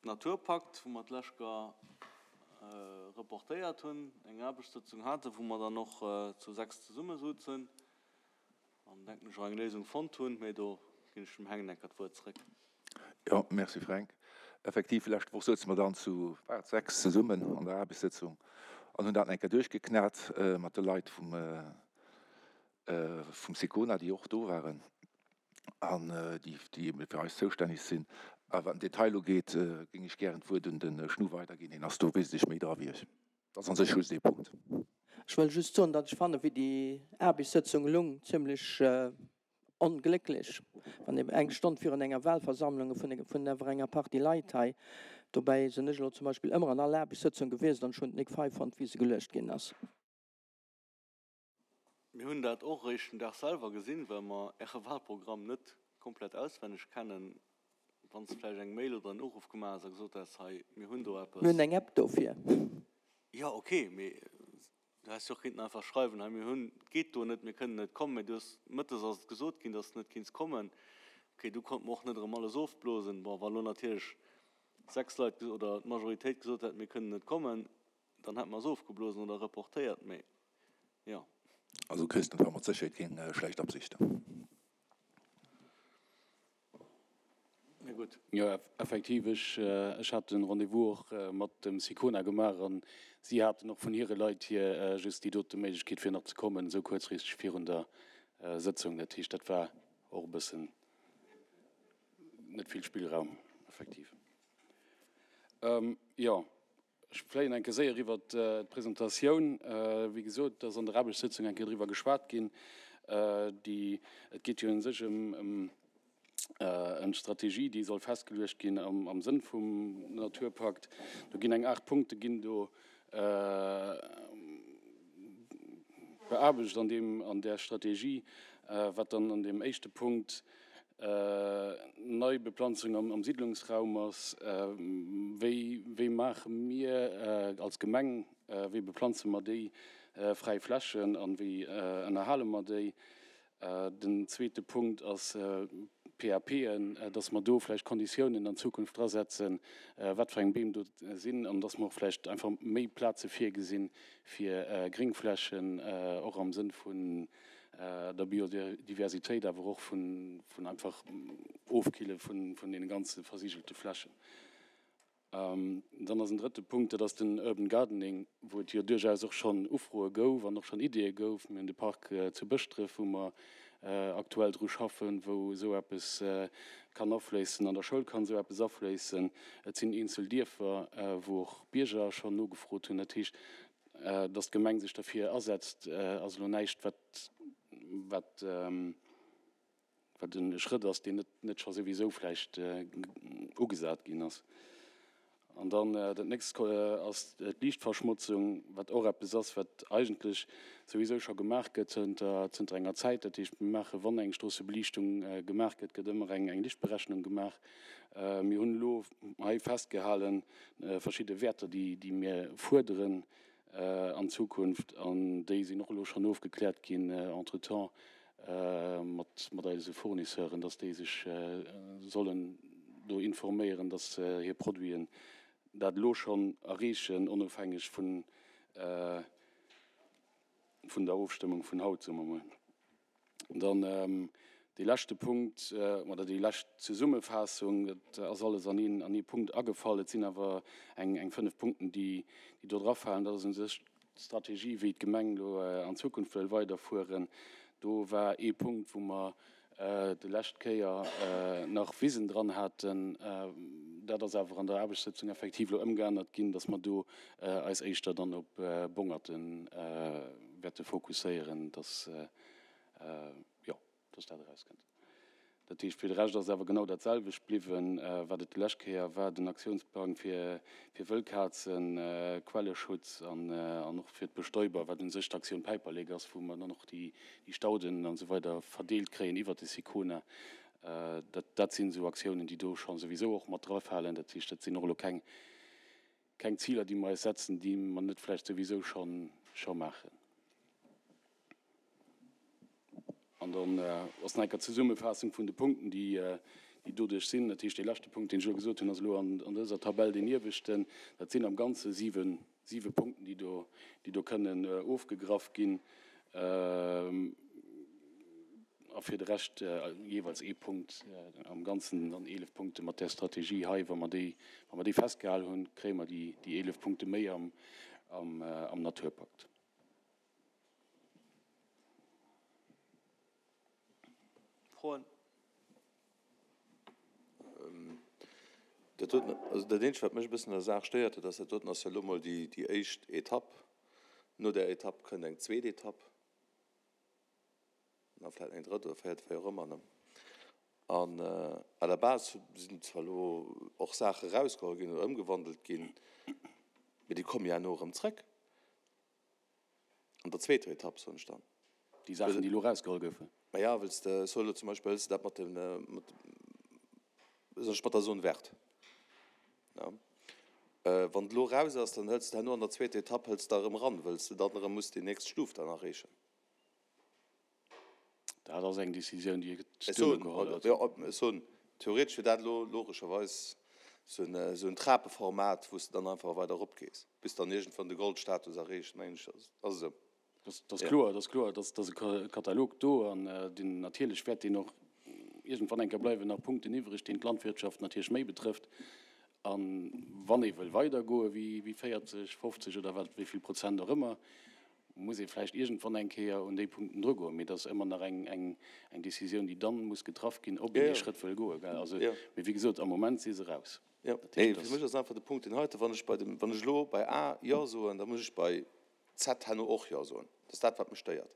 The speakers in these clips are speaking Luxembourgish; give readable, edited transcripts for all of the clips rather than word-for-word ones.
Naturpakt, wou mer d'lescht Joer reportéiert hunn, eng Aarbechtssëtzung haten, wou mer dann och zu 6 zesummesouzen an, denken ech, och eng Léisung fonnt hunn. Mee do ginn ech dem Heng enker d'Wuert zréck. Jo, merci Fränk. Effektiv, lescht Woch souze mer dann zu, war et 6, zesummen an der Aarbechtssëtzung an hunn dat enker duerchgeknat mat de Leit vum, vum Sicona, déi och do waren an déi, déi ebe fir eis zoustänneg sinn. A wat den Detail ugeet, géing ech gären d'Wuert un de Schnu weiderginn. Hien ass do wesentlech méi dra wéi ech. Dat ass an sech just ee Punkt. Ech wëll just soen, datt ech fanne wéi déi Aarbechtssëtzung lung zimlech onglécklech, wann eben eng Stonn virun enger Wahlversammlung vun vun awer enger Partie Leit hei, dobäi sinn ech elo zum Beispill ëmmer an all Aarbechtssëtzung gewiescht an ech hunn et nik fei fonnt wéi se geluecht ginn ass. Mir hunn dat och eréischt den Dag selwer gesinn, well mer Äre Wahlprogramm net komplett auswenneg kennen. Wann s de vläicht eng Mail oder en Uruff gemaach häss a gesot häss, hei, mir hunn do eppes. Mir hunn eng App dofir. Jo, ok, mee du häss jo och kéinten einfach schreiwen, hei, mir hunn, et geet do net, mir kënnen net kommen. Mee du hues, mëttes ass et gesot ginn, dass s de net kinns kommen. Ok, du konnte mer och net erëm alles ofblosen. Bon, wa lo natierlech 6 Leit oder d'Majoritéit gesot hätt, mir kënnen net kommen, Dann hätt mer se ofgeblosen oder reportéiert, mee jo. Also Christen, et war mat Sécherheet keng schlecht Absicht. Mee gutt. Jo, effektiv, ech, ech hat den Rendez-vous och mat dem Sicona gemaach an si haten och vun hire Leit hier just déi dote Méiglechkeet fir nach ze kommen, esou kuerzfristeg virun der Sëtzung. Dat heescht, dat war och e bëssen net vill Spillraum, effektiv. Jo. Ech fléien eng Kéier séier iwwert d'Presentatioun. Wéi gesot, et ass an der Aarbechtssëtzung eng Kéier driwwer geschwat ginn. Déi, et geet jo u sech ëm ëm d'Strategie, déi soll festgeluecht ginn am Sënn vum Naturpakt. Do ginn eng 8 Punkte ginn do beaarbecht an deem, an där Strategie, wat dann an deem éischte Punkt Neibeplanzung am Siddlungsraum ass, wéi wéi maache mir als Gemeng, wéi beplanze mer déi fräi Flächen an wéi ënnerhale mer déi? Den zweete Punkt ass PAPen, dass mer do vläicht Konditiounen an Zukunft drasetzen, wat fir eng Beem do sinn an dass mer och vläicht einfach méi Plaze virgesinn fir Gréngflächen, och am Sënn vun der Biodiversitéit, awer och vun einfach Ofkille vun deene ganze versigelte Flächen. Dann ass en drëtte Punkt, dat ass den Urban Gardening, wou et jo duerchaus och schonn Ufroe gouf an och schonn Ideeë gouf. Mir hunn de Park zu Bëschdref, wou mer aktuell dru schaffen, wou esou eppes kann afléissen. An der Schoul kann esou eppes afléissen. Et sinn eenzel Dierfer, wou och Bierger schonn nogefrot hunn. Dat heescht, Datt d'Gemeng sech derfir asetzt, ass elo näischt, wat, wat, wat e Schrëtt ass, deen net, net scho souwisou vläicht ugesat ginn ass. An dann dat nächst ass d'Liichtverschmotzung, wat och eppes ass, wat eigentlech souwisou scho gemaach gëtt zënter, zënter enger Zäit. Dat heescht, mir maachen, wann eng Stroossebeliichtung gemaach gëtt, gëtt ëmmer eng, eng Lichtberechnung gemaach. Mir hunn elo hei festgehalen, verschidde Wäerter, déi mir fuerderen an Zukunft, an déi sinn och elo schonn ofgekläert ginn entretemps mat eise Fournisseuren, dass déi sech sollen do informéieren, dass hir Produiten dat elo schonn erreechen, onofhängeg vun der Ofstëmmung vun haut, soe mer mol. Dann dee leschte Punkt oder déi lescht Zesummefaassung, dat ass alles an een, an ee Punkt agefall. Et sinn awer eng, eng 5 Punkten, déi, déi do drafalen. Dat ass u sech d'Strategie, wéi d'Gemeng elo an Zukunft wëll weiderfueren. Do war ee Punkt, wou mer déi lescht Kéier nach Wisen dran haten. Dat ass awer an der Aarbechtssëtzung effektiv elo ëmgeännert ginn, dass mer do eis éischter dann op Bongerte wäerte fokusséieren, dass, jo, dass dat erauskënnt. Dat heescht, fir de Rescht ass awer genau dat selwecht bliwwen, wat et déi lescht Kéier war, den Aktiounsplang fir Wëllkazen, Quelleschutz an och fir d'Bestäuber, wat u sech d'Aktioun Päiperlek ass, wou mer dann och déi Stauden an esou weider verdeelt kréien iwwert de Sicona. Dat, dat sinn esou Aktiounen, déi do scho souwisou och mat drafalen. Dat heescht, dat sinn och elo keng, Keng Ziler, déi mer eis setzen, déi mer net vläicht souwisou scho maachen. An dann ass nach eng Kéier d'Zesummefaassung vun de Punkten, déi. Déi doduerch sinn. Dat heescht, dee leschte Punkt, deen ech elo gesot hunn, ass elo an dëser Tabell deen ieweschten. Dat sinn am Ganze siwe, siwe Punkten, déi do, déi do kënnen ofgegraff ginn. A fir de Rescht jeeweils ee Punkt, am Ganzen dann 11 Punkte mat där Strategie hei. Wa mer déi, wa mer déi festgehalen hunn, kréie mer déi, déi 11 Punkte méi am, am, am Naturpakt. Froen? Dat doten, also dat Eenzegt, wat mech e bëssen un der Saach stéiert, dat ass, dat doten ass jo elo mol déi, déi éischt Etapp. No där Etapp kënnt eng zweet Etapp an da vläicht eng drëtt oder véiert, wéi och ëmmer, ne? An à la base sinn zwar elo och Saache erausgeholl ginn oder ëmgewandelt ginn, mee déi komme jo herno erëm zrëck. An der zweeter Etapp, soen ech dann. Déi Saachen, déi elo erausgeholl goufen. Ma ja, wëlls de, ech soe elo zum Beispill, hëls de dat mat dem, mat, soen ech, mat der Zone verte, ja. Wann et elo eraus ass, dann hëls de herno an der zweeter Etapp, hëls de da erëm eran, wëlls de dann erëm muss déi nächst Stuf dann erreechen. Dat ass eng Décisioun, déi et duerno geholl gëtt. Jo, ech soen, theoretesch wier dat elo logescherweis esou en Trapeformat, wou s de dann einfach weider eropgees, bis dann iergendwann de Goldstatus erreecht, mengen ech, ass esou. Dat ass kloer, dat ass kloer, dat ass e Katalog do an deen natierlech wäert deen och iergendwann eng Kéier bleiwen nach Punkten iwwreg, deen d'Landwirtschaft natierlech méi betrëfft. A wann ee wëll weidergoe wéi 40, 50 oder wat wéi vill Prozent och ëmmer, muss ee vläicht iergendwann eng Kéier un déi Punkten drugoen, mee dat ass ëmmer nach eng, eng, eng Décisioun, déi dann muss getraff ginn, ob een dee Schrëtt wëll goen, gell. Also, mee wéi gesot, am Moment si se raus. Jo, nee, fir mech ass einfach de Punkt deen heiten, Wann ech bei dem, wann ech elo bei A Jo soen, da muss ech bei Z herno och Jo soen. Dat ass dat, wat mech stéiert.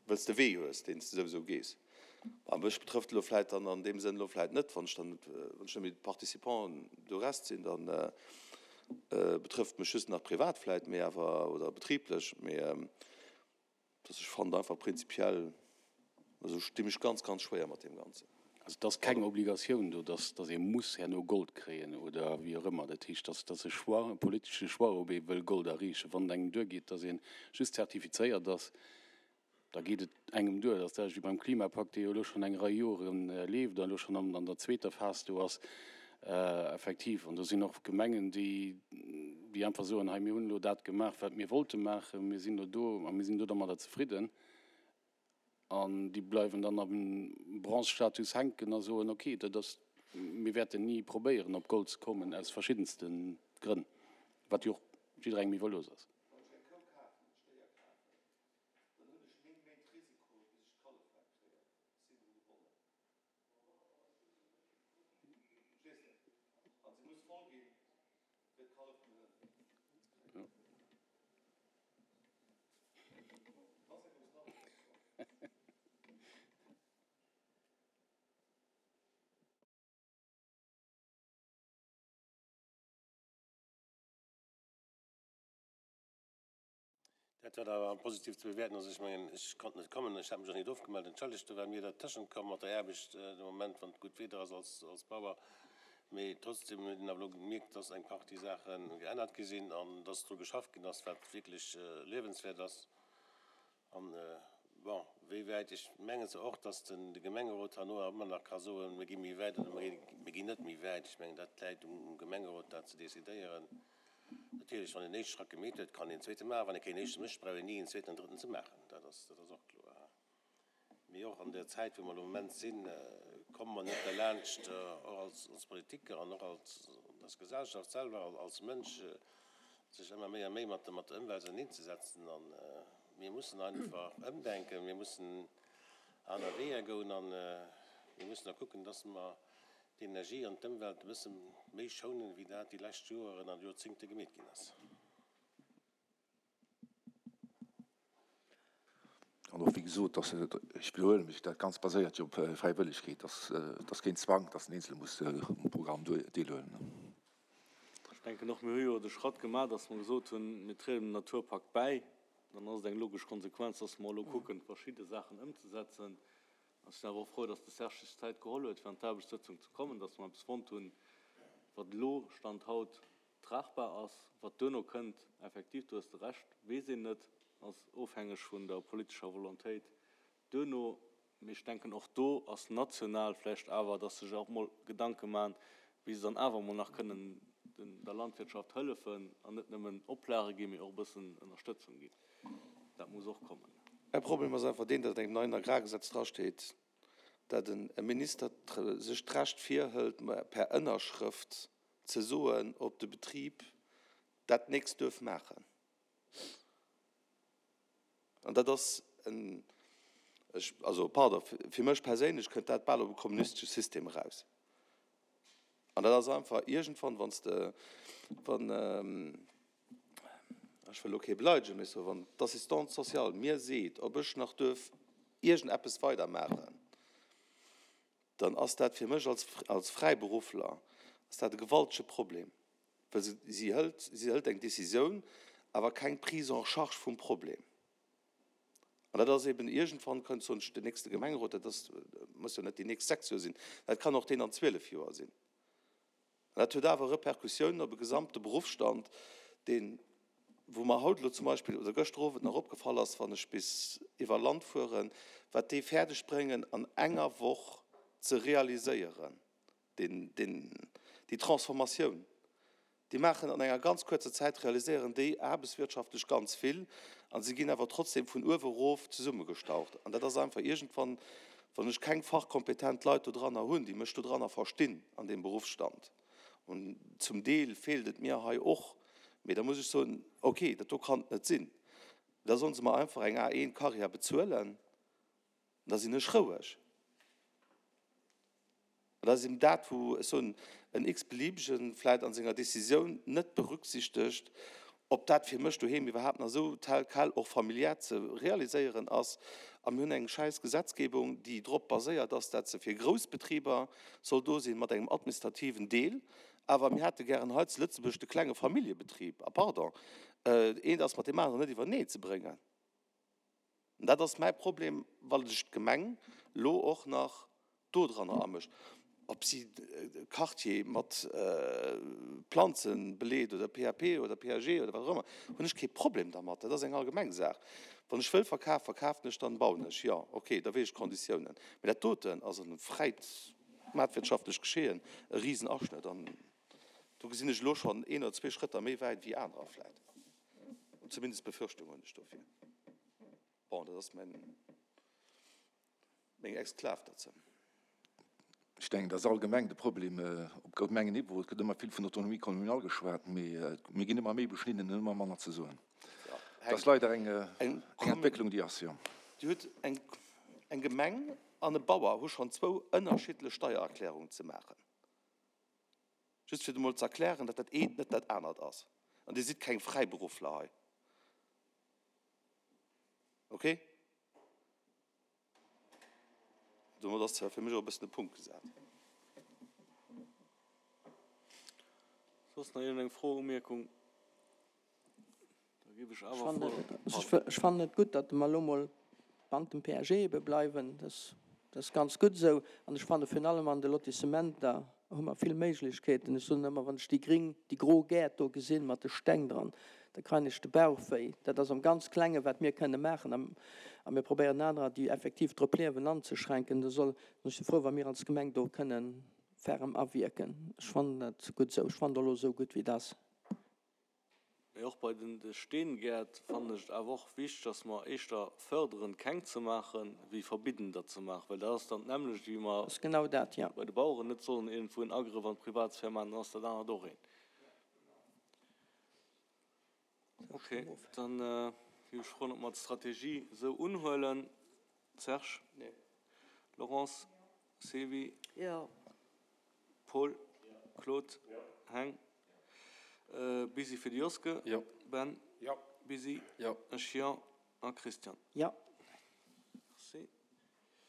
Well s de Wee hues, deen s de souwisou gees. A mech betrëfft elo vläit dann an deem Sënn elo vläit net, wann ech dann net, wann ech net méi Participant du reste sinn, dann betrëfft mech just nach privat vläit, mee awer, oder betriblech, mee dass ech fannen einfach prinzipiell, also ech di mech ganz, ganz schwéier mat deem Ganzen. Also et ass keng Obligatioun do, dass, dass ee muss herno Gold kréien oder wéi och ëmmer. Dat heescht, dass ass e Choix, e politesche Choix, ob ee wëll Gold erreechen. Wann et engem duergeet, dass ee just zertifizéiert ass, da geet et engem duer. Dat ass dat wéi beim Klimapakt, dee jo elo schonn eng Rei Jore leeft a elo schonn an an der zweeter Phas do ass, effektiv. An do sinn och Gemengen, déi, déi einfach soen, hei mir hunn elo dat gemaach, wat mir wollte maachen, mir sinn elo do a mir sinn do domadder zefridden. An déi bleiwen dann am Bronze-Status hänken a soen, ok, dat ass, mir wäerten ni probéieren op Gold ze kommen, aus verschiddenste Grënn, wat jo och jidderengem iwwerlooss ass. Wann ech eng Kou kafen, e Stéier kafen, dann hunn ech 9 Méint Risiko, bis ech d'Kallef weg kréien. Ech sinn dru gebonnen. Verstees de? An se muss voll ginn, fir d'Kallef kënnen ënn. Dat wat awer positiv ze bewäerten ass, ech mengen, ech konnt net kommen, ech hat mech och net ofgemellt, entschëllegt, do war mir dertëschent komm mat der Aarbecht de Moment, wann et gutt Wieder ass als, als Bauer. Mee trotzdem huet een awer elo gemierkt, dass eng Partie Saache geännert gi sinn an dass dru geschafft ginn ass, wat wierklech luewenswäert ass. An, bon, wéi wäit, ech mengen zwar och, dass den, de Gemengerot herno awer ëmmer nach ka soen, mir gi méi wäit oder mir ginn net méi wäit. Ech mengen, dat läit um Gemengerot, dat ze decidéieren. Natierlech, wann een éischte Schrack gemeet huet, kann een en zweete maachen. Wann ee keen éischte mécht, brauch een ni en zweeten an drëtten ze maachen. Dat ass, dat ass och kloer. Mee och an der Zäit, wou mer elo am Moment sinn, komme mer net derlaanscht, och als, als Politiker an och als, als Gesellschaft selwer, als Mënsch, sech ëmmer méi a méi mat der, mat der Ëmwelt auserneenzesetzen. A mir mussen einfach ëmdenken, mir mussen aner Weeër goen a mir mussen och kucken, dass mer d'Energie an d'Ëmwelt e bësse méi schounen, wéi dat déi lescht Joeren an Joerzéngte gemeet ginn ass. An och, wéi gesot, dass, ech widderhuele mech, dat Ganzt baséiert jo op Fräiwëllegkeet, dass, dass keen Zwang, dass den Eenzele muss um Programm deelhuelen. Ech denken och, mir hu jo de Schratt gemaach, dass mer gesot hunn, mir trieden dem Naturpakt bäi. Dann ass et eng logesch Konsequenz, dass mer elo kucken, verschidde Saachen ëmzesetzen. Ech sinn awer och frou, dass de Serge sech d'Zäit geholl huet, fir an d'Aarbechtssëtzung ze kommen, dass mer eppes fonnt hunn, wat elo, Stand haut, tragbar ass. Wat duerno kënnt, effektiv, do hues de Recht, weess een net, ass ofhängeg vun der politescher Volontéit duerno. Mee ech denken, och do ass national vläicht awer, dass sech och mol Gedanke maachen, wéi se dann awer mol nach kënnen der Landwirtschaft hëllefen an net nëmmen Oplage ginn, mee och e bëssen Ënnerstëtzung ginn. Dat muss och kommen. Mäi Problem ass einfach deen, datt an engem neien Agrargesetz drasteet, datt e Minister sech d'Recht virhëlt, per Ënnerschrëft ze soen, ob de Betrib dat nächst duerf maachen. An dat ass en, ech, also pardon, fir mech perséinlech kënnt dat bal op e kommunistesche System eraus. An dat ass einfach iergendwann, wann s de, wann, ech wëll elo kee beleidegen, mee ech soen, wann d'Assistante sociale mir seet, ob ech nach duerf iergendeppes weidermaachen, dann ass dat fir mech als, als Fräiberuffler ass dat e gewaltege Problem. Well se, si hëlt, si hëlt eng Décisioun, awer keng Prise en charge vum Problem. An dat ass eben iergendwann, kënnt soen ech, den nächste Gemengerot, dat ass, muss jo net déi nächst 6 Joer sinn, dat kann och deen an 12 Joer sinn. An dat huet awer Repercussiounen op e gesamte Beruffsstand, deen, wou mer haut elo zum Beispill oder gëschter Owend nach opgefall ass, wann ech bis iwwer Land fueren, wat déi fäerdeg bréngen an enger Woch ze realiséieren. deen, deen, déi Transformatioun, déi maachen an enger ganz kuerzer Zäit, realiséieren déi aarbechtswirtschaftlech ganz vill a se ginn awer trotzdem vun uewe erof zesummegestaucht. An dat ass einfach iergendwann, wann ech keng fachkompetent Leit dodranner hunn, déi mech dodranner verstinn an deem Beruffsstand, und zum Deel feelt et mir hei och, mee da muss ech soen, okay, dat do kann et net sinn, da solle se mer einfach eng A1-Karriär bezuelen, da sinn ech roueg. An dat ass eben dat, wou ech soen, en x-beliebegen vläicht a senger Décisioun net berücksichtegt, ob dat fir mech doheem iwwerhaapt nach esou tel quel och familiär ze realiséieren ass. A mir hunn eng schäiss Gesetzgebung, déi drop baséiert ass, dat se fir grouss Betriber soll do sinn, mat engem administrativen Deel. Awer mir hätte gären hei zu Lëtzebuerg de klenge Familljebetrib. A pardon, eent ass mat deem aneren net iwwernee ze bréngen. An dat ass mäi Problem, well sech d'Gemeng elo och nach dodranner amëscht, ob si e Quartier mat Planze beleet oder PAP oder PAG oder wat och ëmmer, hunn ech kee Problem dermat. Dat ass eng allgemeng Saach. Wann ech wëll verkafen, verkafen ech, dann bauen ech. Jo, okay, da weess ech d'Konditiounen. Mee dat doten ass an fräit maartwirtschaftlech Geschehen e Risenaschnëtt. An do gesinn ech elo schonn een oder zwee Schrëtter méi wäit wéi anerer vläit. Zumindest Befürchtung hunn ech dofir. Bon, dat ass mäin, meng Exklav derzou. Ech denken, dat ass allgemeng de Problem op Gemengenniveau. Et gëtt ëmmer vill vun Autonomie communale geschwat, mee mir ginn ëmmer méi beschnidden an ëmmer manner ze soen. Dat ass leider eng Entwécklung, déi ass, jo. Dir hutt eng, eng Gemeng an e Bauer hu schonn zwou ënnerschiddlech Steiererklärungen ze maachen. Just fir emol ze erklären, datt dat eent net dat anert ass. An Dir sidd keng Fräiberuffler hei. Okay? Domat ass fir mech och e bëssen de Punkt gesat. Soss nach iergendeng Fro, Umierkung? Da géif ech awer vor. Ech fannen et gutt, datt mer elo mol bant dem PAG ebe bleiwen. Dat ass ganz gutt esou. An ech fanne virun allem an de Lotissementer hu mer vill Méiglechkeeten. Ech soen ëmmer, wann ech déi gring, déi gro Gäert do gesinn mat de Steng dran, da kreien ech de Bauch wéi. Dat ass am ganz Klenge wat mir kënne maachen. A mir probéieren anerer, déi effektiv drop liewen, anzeschränken. Da soll, ech si frou, wa mir als Gemeng do kënne ferm awierken. Ech fannen dat gutt esou. Ech fannen et elo esou gutt, wéi et ass. Mee och bei den Steengäert fannen ech et awer och wichteg, dass mer éischter förderen, keng ze maachen, wéi verbidden, der ze maachen. Well dat ass dann d'nämmlecht, wéi mer Ass genau dat, jo. bei de Baueren net sollen iergendwou en Agrëff an d'Privatsphär maachen, dann ass dat anert och een. Okay, dann géif ech froen, ob mer d'Strategie esou unhuelen. Serge? Nee. Laurence? Sylvie? Jo. Paul, Claude, Heng, Busy fir de Joske, Jo. Ben, Jo. Busy, Jo. Ech, jo, a Christian. Jo.